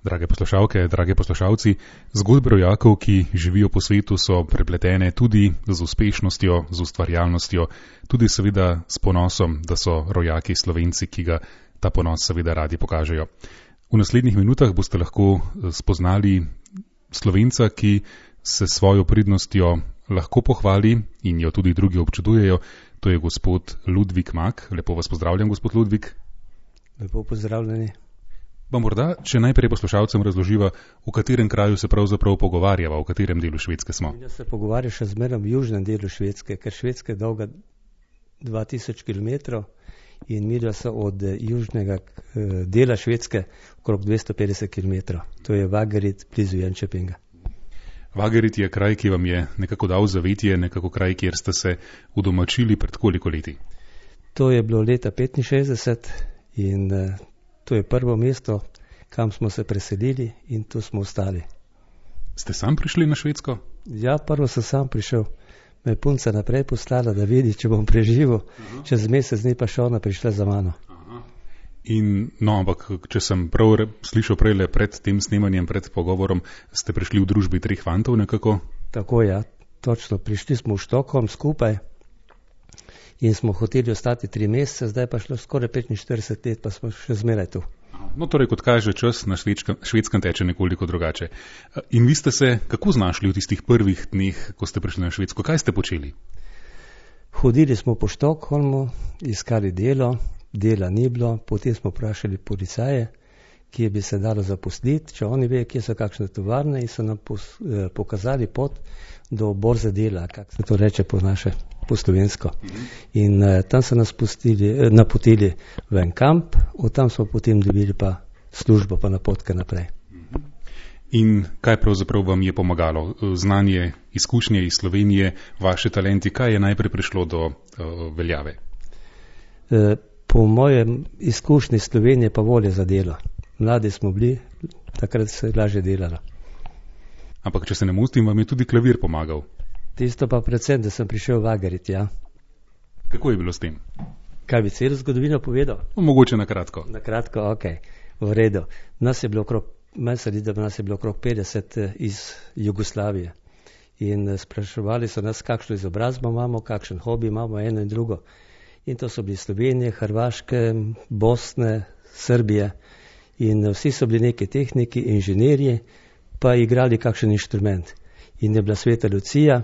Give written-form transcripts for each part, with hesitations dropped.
Drage poslušalke, drage poslušalci, zgodbe rojakov, ki živijo po svetu, so prepletene tudi z uspešnostjo, z ustvarjalnostjo, tudi seveda s ponosom, da so rojaki Slovenci, ki ga ta ponos seveda radi pokažejo. V naslednjih minutah boste lahko spoznali Slovenca, ki se svojo pridnostjo lahko pohvali in jo tudi drugi občudujejo. To je gospod Ludvik Mak. Lepo vas pozdravljam, gospod Ludvik. Lepo pozdravljeni. Pa morda, če najprej poslušalcem razloživa, v katerem kraju se pravzaprav pogovarjava, v katerem delu Švedske smo. Ja se pogovarja še zmeraj v južnem delu Švedske, ker Švedska je dolga 2000 km in midva so od južnega dela Švedske okrog 250 km. To je Vaggerid blizu Jönköpinga. Vaggerid je kraj, ki vam je nekako dal zavetje, nekako kraj, kjer ste se udomačili pred koliko leti? To je bilo leta 65 in to je prvo mesto, kam smo se preselili in tu smo ostali. Ste sam prišli na Švedsko? Ja, prvo sem sam prišel. Me je punca naprej poslala, da vidi, če bom preživel. Čez mesec dni pa še ona prišla za mano. Ampak, če sem prav slišal prejle pred tem snemanjem, pred pogovorom, ste prišli v družbi 3 fantov nekako? Tako, ja, točno. Prišli smo v Štokholm skupaj in smo hoteli ostati 3 mesece, zdaj pa šlo skoraj 45 let, pa smo še zmeraj tu. No, torej, kot kaže, čas na Švedskem teče nekoliko drugače. In vi ste se kako znašli v tistih prvih dneh, ko ste prišli na Švedsko? Kaj ste počeli? Hodili smo po Štokholmu, iskali delo, dela ni bilo, potem smo vprašali policaje, kje bi se dalo zaposliti, če oni ve, kje so kakšne tovarne, in so nam pokazali pot do borze dela, kako se to reče po naše, po slovensko. In tam so nas napotili v en kamp, od tam smo potem dobili pa službo, pa napotke naprej. In kaj pravzaprav vam je pomagalo? Znanje, izkušnje iz Slovenije, vaše talenti, kaj je najprej prišlo do veljave? Po mojem izkušnji Slovenije pa volje za delo. Mladi smo bili, takrat se je lažje delalo. Ampak, če se ne motim, vam je tudi klavir pomagal. Tisto pa predvsem, da sem prišel v Vaggerid, ja. Kako je bilo s tem? Kaj bi celo zgodovino povedal? Mogoče na kratko. Na kratko, ok, v redu. Nas je bilo okrog 50 iz Jugoslavije. In spraševali so nas, kakšno izobrazbo imamo, kakšen hobi imamo, eno in drugo. In to so bili Slovenije, Hrvaške, Bosne, Srbije. In vsi so bili neki tehniki, inženirji, pa igrali kakšen inštrument. In je bila Sveta Lucija,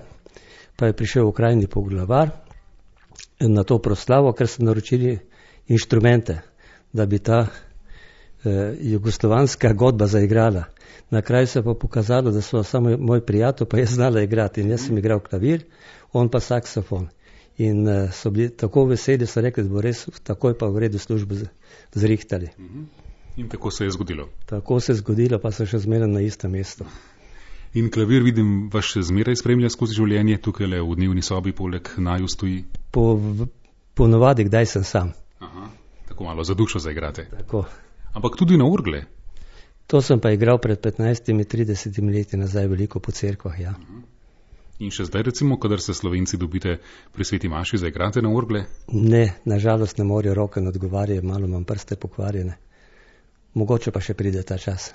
pa je prišel okrajni poglavar na to proslavo, ker so naročili inštrumente, da bi ta jugoslovanska godba zaigrala. Na kraju se pa pokazalo, da so samo moj prijatelj, pa je znala igrati. In jaz sem igral klavir, on pa saksofon. In so bili tako veseli, so rekli, da bo res takoj pa v redu službo zrihtali. In tako se je zgodilo? Tako se je zgodilo, pa so še zmeraj na istem mestu. In klavir, vidim, vas še zmeraj spremlja skozi življenje, tukaj le v dnevni sobi poleg naju stoji? Po navadi, kdaj sem sam. Aha, tako malo za dušo zaigrate. Tako. Ampak tudi na orgle? To sem pa igral pred 15-30 leti nazaj veliko po cerkvah, ja. In še zdaj recimo, kadar se Slovenci dobite pri Sveti maši, zaigrate na orgle? Ne, nažalost ne morejo, roke ne odgovarjajo, malo imam prste pokvarjene. Mogoče pa še pride ta čas.